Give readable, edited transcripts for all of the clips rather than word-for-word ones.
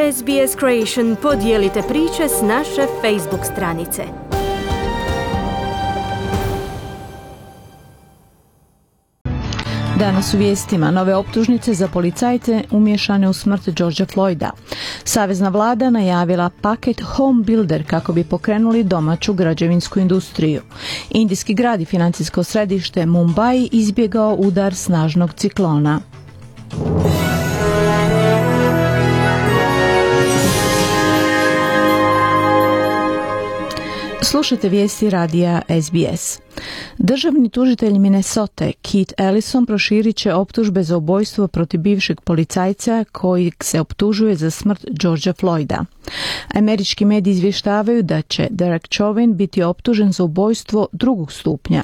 SBS Creation, podijelite priče s naše Facebook stranice. Danas u vijestima nove optužnice za policajce umiješane u smrt Georgea Floyda. Savezna vlada najavila paket Home Builder kako bi pokrenuli domaću građevinsku industriju. Indijski grad i financijsko središte Mumbai izbjegao udar snažnog ciklona. Slušajte vijesti radija SBS. Državni tužitelj Minnesote Keith Ellison proširit će optužbe za ubojstvo protiv bivšeg policajca koji se optužuje za smrt Georgea Floyda. Američki mediji izvještavaju da će Derek Chauvin biti optužen za ubojstvo drugog stupnja,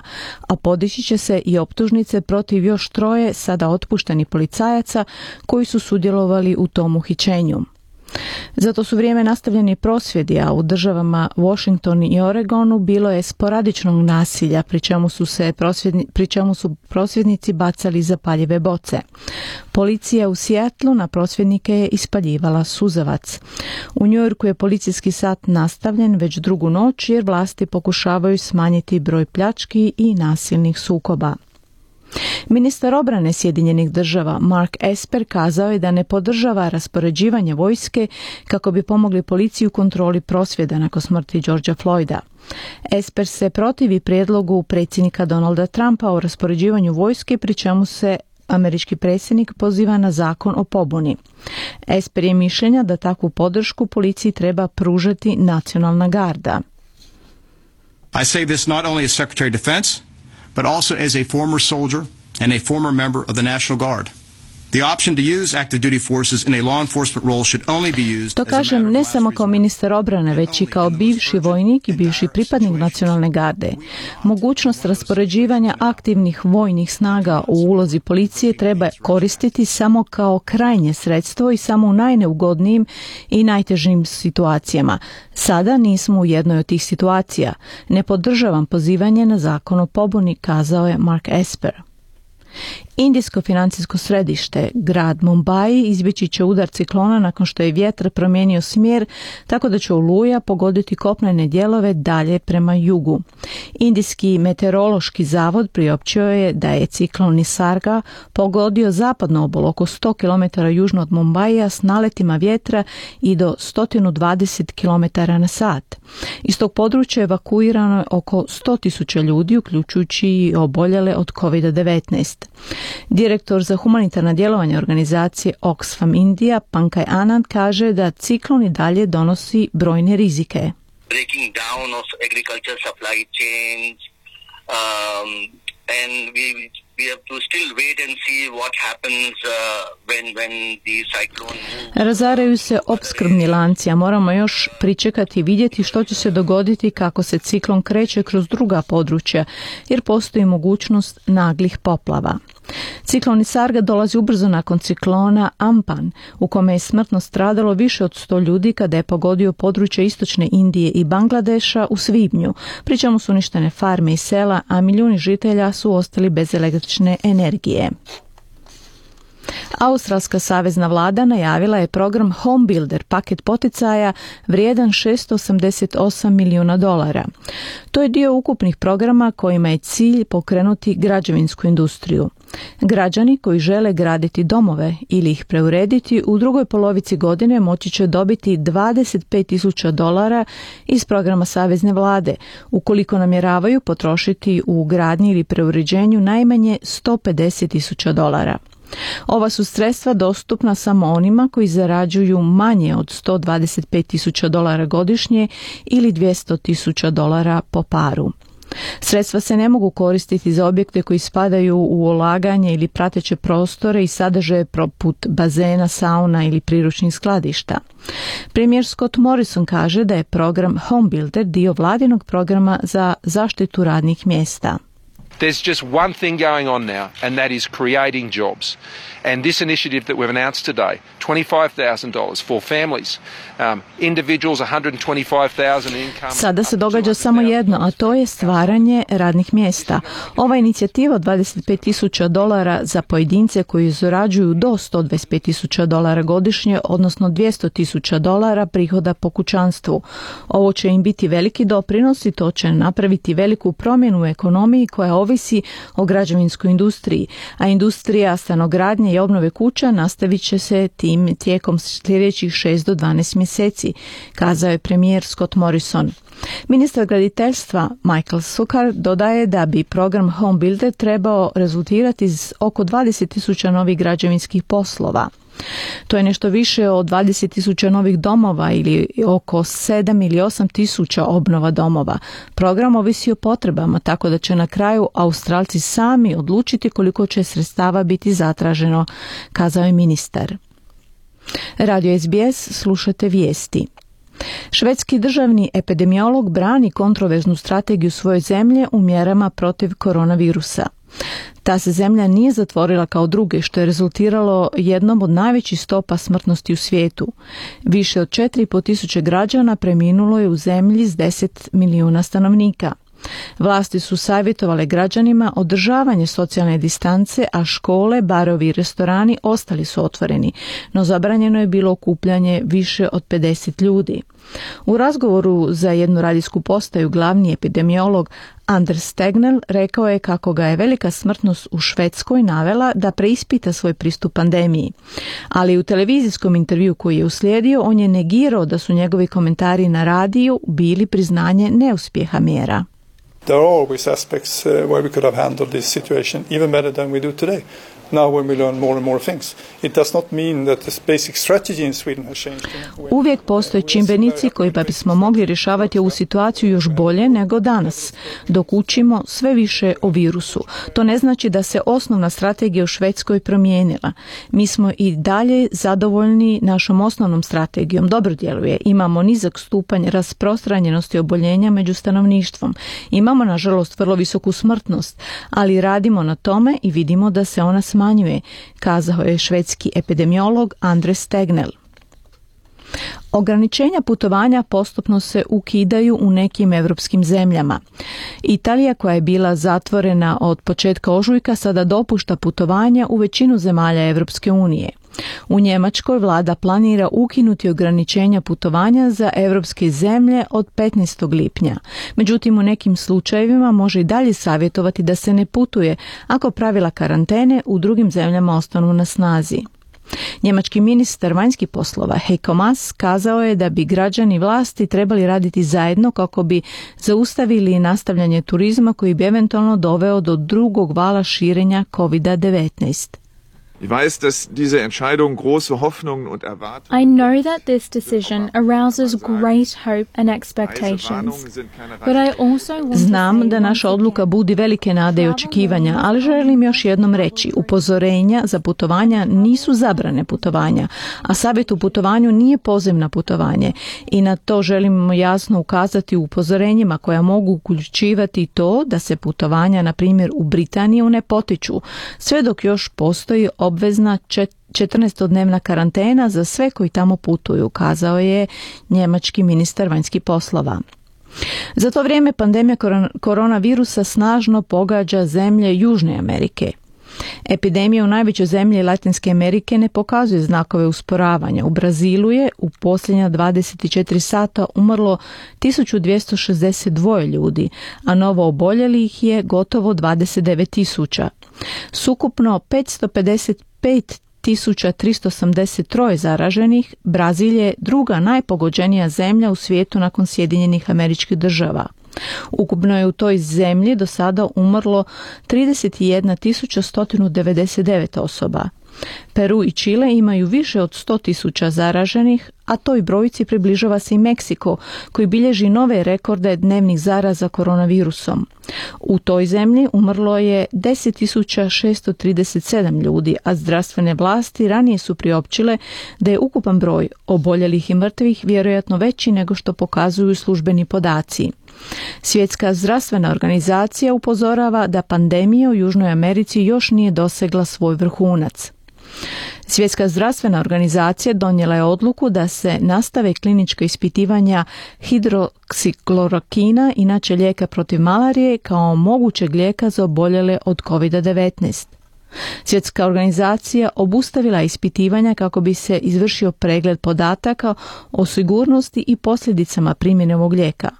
a podići će se i optužnice protiv još 3 sada otpuštenih policajaca koji su sudjelovali u tom uhićenju. Zato su vrijeme nastavljeni prosvjedi, a u državama Washington i Oregonu bilo je sporadičnog nasilja, pri čemu su prosvjednici bacali zapaljive boce. Policija u Seattlu na prosvjednike je ispaljivala suzavac. U New Yorku je policijski sat nastavljen već drugu noć jer vlasti pokušavaju smanjiti broj pljački i nasilnih sukoba. Ministar obrane Sjedinjenih država Mark Esper kazao je da ne podržava raspoređivanje vojske kako bi pomogli policiji u kontroli prosvjeda nakon smrti Georgea Floyda. Esper se protivi prijedlogu predsjednika Donalda Trumpa o raspoređivanju vojske, pri čemu se američki predsjednik poziva na zakon o pobuni. Esper je mišljenja da takvu podršku policiji treba pružati nacionalna garda. I say this not only as Secretary of Defense, but also as a former soldier and a former member of the National Guard. The option to use active duty forces in a law enforcement role should only be used. To kažem ne samo kao ministar obrane, već i kao bivši vojnik i bivši pripadnik nacionalne garde. Mogućnost raspoređivanja aktivnih vojnih snaga u ulozi policije treba koristiti samo kao krajnje sredstvo i samo u najneugodnijim i najtežim situacijama. Sada nismo u jednoj od tih situacija. Ne podržavam pozivanje na zakon o pobuni, kazao je Mark Esper. Indijsko financijsko središte, grad Mumbai, izbjeći će udar ciklona nakon što je vjetar promijenio smjer, tako da će oluja pogoditi kopnene dijelove dalje prema jugu. Indijski meteorološki zavod priopćio je da je ciklon Nisarga pogodio zapadnu obalu oko 100 km južno od Mumbaija s naletima vjetra i do 120 km na sat. Iz tog područja evakuirano je oko 100.000 ljudi, uključujući i oboljele od COVID-19. Direktor za humanitarna djelovanja organizacije Oxfam India, Pankaj Anand, kaže da ciklon i dalje donosi brojne rizike. Breaking down of agriculture supply chains, and we have to still wait and see what happens when the cyclone moves. Razaraju se opskrbni lanci, a moramo još pričekati i vidjeti što će se dogoditi kako se ciklon kreće kroz druga područja, jer postoji mogućnost naglih poplava. Ciklon Nisarga dolazi ubrzo nakon ciklona Ampan, u kome je smrtno stradalo više od 100 ljudi kada je pogodio područje istočne Indije i Bangladeša u svibnju, pri čemu su uništene farme i sela, a milijuni žitelja su ostali bez električne energije. Australska savezna vlada najavila je program Home Builder, paket poticaja vrijedan $688 milijuna. To je dio ukupnih programa kojima je cilj pokrenuti građevinsku industriju. Građani koji žele graditi domove ili ih preurediti u drugoj polovici godine moći će dobiti $25,000 iz programa savezne vlade, ukoliko namjeravaju potrošiti u gradnji ili preuređenju najmanje $150,000. Ova su sredstva dostupna samo onima koji zarađuju manje od $125,000 godišnje ili $200,000 po paru. Sredstva se ne mogu koristiti za objekte koji spadaju u ulaganje ili prateće prostore i sadržaje poput bazena, sauna ili priručnih skladišta. Premijer Scott Morrison kaže da je program Home Builder dio vladinog programa za zaštitu radnih mjesta. There's just one thing going on now, and that is creating jobs. And this initiative that we've announced today, $25,000 for families, individuals, $125,000 income. Sada se događa samo jedno, a to je stvaranje radnih mjesta. Ova inicijativa od $25,000 za pojedince koji zarađuju do $125,000 godišnje, odnosno $200,000 prihoda po kućanstvu. Ovo će im biti veliki doprinos i to će napraviti veliku promjenu u ekonomiji koja ovisi o građevinskoj industriji, a industrija stanogradnje i obnove kuća nastavit će se tim tijekom sljedećih 6 do 12 mjeseci, kazao je premijer Scott Morrison. Ministar graditeljstva Michael Sukkar dodaje da bi program Home Builder trebao rezultirati s oko 20,000 novih građevinskih poslova. To je nešto više od 20,000 novih domova ili oko 7 ili 8,000 obnova domova. Program ovisi o potrebama, tako da će na kraju Australci sami odlučiti koliko će sredstava biti zatraženo, kazao je ministar. Radio SBS, slušate vijesti. Švedski državni epidemiolog brani kontroverznu strategiju svoje zemlje u mjerama protiv koronavirusa. Ta se zemlja nije zatvorila kao druge, što je rezultiralo jednom od najvećih stopa smrtnosti u svijetu. Više od 4.500 građana preminulo je u zemlji s 10 milijuna stanovnika. Vlasti su savjetovale građanima održavanje socijalne distance, a škole, barovi i restorani ostali su otvoreni, no zabranjeno je bilo okupljanje više od 50 ljudi. U razgovoru za jednu radijsku postaju glavni epidemiolog Anders Tegnell rekao je kako ga je velika smrtnost u Švedskoj navela da preispita svoj pristup pandemiji. Ali u televizijskom intervju koji je uslijedio, on je negirao da su njegovi komentari na radiju bili priznanje neuspjeha mjera. There are always aspects where we could have handled this situation even better than we do today. Now when we learn more and more things, it does not mean that the basic strategy in Sweden has changed. Uvijek postoje čimbenici koji pa bismo mogli rješavati ovu situaciju još bolje nego danas, dok učimo sve više o virusu. To ne znači da se osnovna strategija u Švedskoj promijenila. Mi smo i dalje zadovoljni našom osnovnom strategijom. Dobro djeluje. Imamo nizak stupanj rasprostranjenosti oboljenja među stanovništvom. Imamo, nažalost, vrlo visoku smrtnost, ali radimo na tome i vidimo da se ona smanjuje, kazao je švedski epidemiolog Anders Tegnell. Ograničenja putovanja postupno se ukidaju u nekim europskim zemljama. Italija, koja je bila zatvorena od početka ožujka, sada dopušta putovanja u većinu zemalja Europske unije. U Njemačkoj vlada planira ukinuti ograničenja putovanja za europske zemlje od 15. lipnja. Međutim, u nekim slučajevima može i dalje savjetovati da se ne putuje ako pravila karantene u drugim zemljama ostanu na snazi. Njemački ministar vanjskih poslova Heiko Maas kazao je da bi građani vlasti trebali raditi zajedno kako bi zaustavili nastavljanje turizma koji bi eventualno doveo do drugog vala širenja COVID-19. Ich weiß, dass diese Entscheidung große Hoffnungen und Erwartungen. I know that this decision arouses great hope and expectations, but I also want to Znam da naša odluka budi velike nade i očekivanja, ali želim još jednom reći, upozorenja za putovanja nisu zabrane putovanja, a savjet u putovanju nije poziv na putovanje i na to želimo jasno ukazati u upozorenjima koja mogu uključivati to da se putovanja, na primjer u Britaniju, ne potiču, sve dok još postoji obvezna 14-dnevna karantena za sve koji tamo putuju, kazao je njemački ministar vanjskih poslova. Za to vrijeme pandemija koronavirusa snažno pogađa zemlje Južne Amerike. Epidemija u najvećoj zemlji Latinske Amerike ne pokazuje znakove usporavanja. U Brazilu je u posljednja 24 sata umrlo 1262 ljudi, a novo oboljelih je gotovo 29.000. Sukupno 555.383 zaraženih, Brazil je druga najpogođenija zemlja u svijetu nakon Sjedinjenih Američkih Država. Ukupno je u toj zemlji do sada umrlo 31.199 osoba. Peru i Čile imaju više od 100.000 zaraženih, a toj brojci približava se i Meksiko, koji bilježi nove rekorde dnevnih zaraza koronavirusom. U toj zemlji umrlo je 10.637 ljudi, a zdravstvene vlasti ranije su priopćile da je ukupan broj oboljelih i mrtvih vjerojatno veći nego što pokazuju službeni podaci. Svjetska zdravstvena organizacija upozorava da pandemija u Južnoj Americi još nije dosegla svoj vrhunac. Svjetska zdravstvena organizacija donijela je odluku da se nastave klinička ispitivanja hidroksiklorokina, inače lijeka protiv malarije, kao mogućeg lijeka za oboljele od COVID-19. Svjetska organizacija obustavila ispitivanja kako bi se izvršio pregled podataka o sigurnosti i posljedicama primjene ovog lijeka,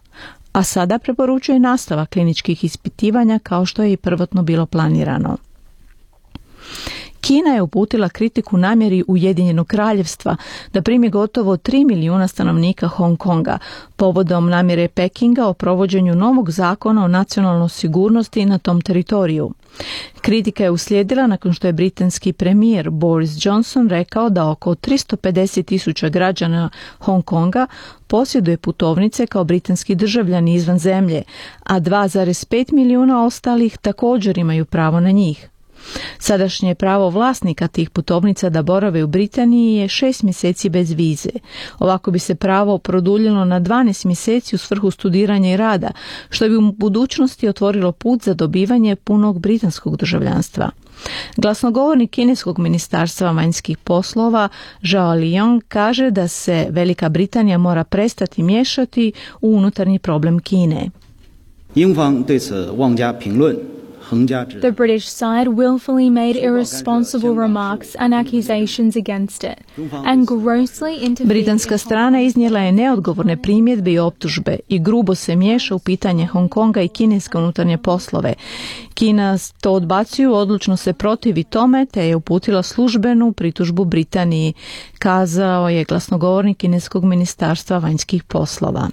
a sada preporučuje nastavak kliničkih ispitivanja kao što je i prvotno bilo planirano. Kina je uputila kritiku namjeri Ujedinjenog kraljevstva da primi gotovo 3 milijuna stanovnika Hong Konga povodom namjere Pekinga o provođenju novog zakona o nacionalnoj sigurnosti na tom teritoriju. Kritika je uslijedila nakon što je britanski premijer Boris Johnson rekao da oko 350.000 građana Hong Konga posjeduje putovnice kao britanski državljani izvan zemlje, a 2,5 milijuna ostalih također imaju pravo na njih. Sadašnje pravo vlasnika tih putovnica da borave u Britaniji je 6 mjeseci bez vize. Ovako bi se pravo produljilo na 12 mjeseci u svrhu studiranja i rada, što bi u budućnosti otvorilo put za dobivanje punog britanskog državljanstva. Glasnogovornik kineskog ministarstva vanjskih poslova Zhao Lijiang kaže da se Velika Britanija mora prestati miješati u unutarnji problem Kine. The British side willfully made irresponsible remarks and accusations against it, and grossly interfered. Britanska strana iznijela je neodgovorne primjedbe i optužbe i grubo se miješa u pitanje Hong Konga i kineske unutarnje poslove. Kina to odbacuju, odlučno se protivi tome, te je uputila službenu pritužbu Britaniji, kazao je glasnogovornik kineskog ministarstva vanjskih poslova.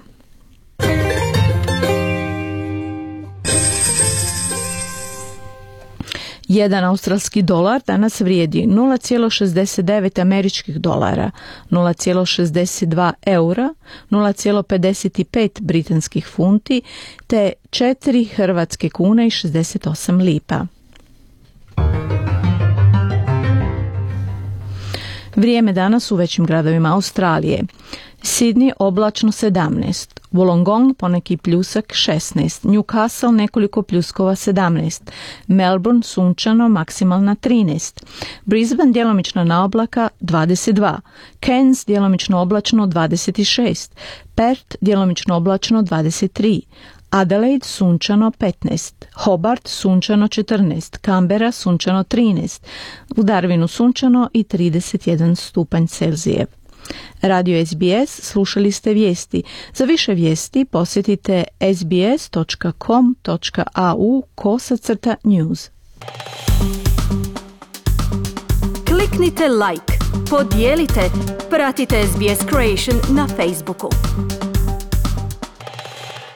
Jedan australski dolar danas vrijedi 0,69 američkih dolara, 0,62 eura, 0,55 britanskih funti te 4 hrvatske kune i 68 lipa. Vrijeme danas u većim gradovima Australije. Sydney oblačno 17, Wollongong poneki pljusak 16, Newcastle nekoliko pljuskova 17, Melbourne sunčano maksimalna 13, Brisbane djelomično na oblaka 22, Cairns djelomično oblačno 26, Perth djelomično oblačno 23, Adelaide sunčano 15, Hobart sunčano 14, Canberra sunčano 13, u Darwinu sunčano i 31 stupanj Celzijev. Radio SBS, slušali ste vijesti. Za više vijesti posjetite sbs.com.au/news. Kliknite like, podijelite, pratite SBS Creation na Facebooku.